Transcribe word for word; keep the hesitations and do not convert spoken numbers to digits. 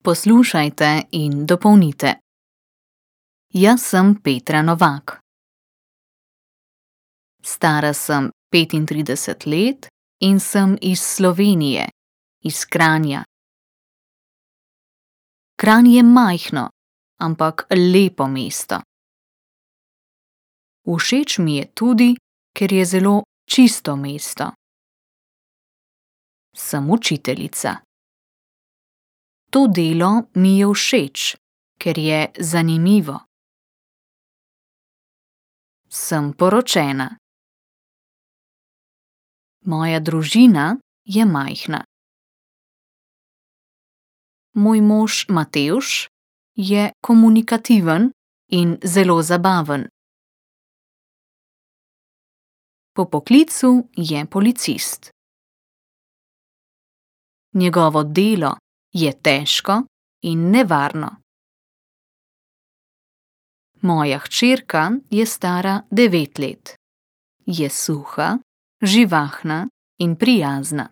Poslušajte in dopolnite. Jaz sem Petra Novak. Stara sem petintrideset let in sem iz Slovenije, iz Kranja. Kranj je majhno, ampak lepo mesto. Všeč mi je tudi, ker je zelo čisto mesto. Sem učiteljica. To delo mi je všeč, ker je zanimivo. Sem poročena. Moja družina je majhna. Moj mož Matevž je komunikativen in zelo zabaven. Po poklicu je policist. Njegovo delo je težko in nevarno. Moja hčerka je stara devet let. Je suha, živahna in prijazna.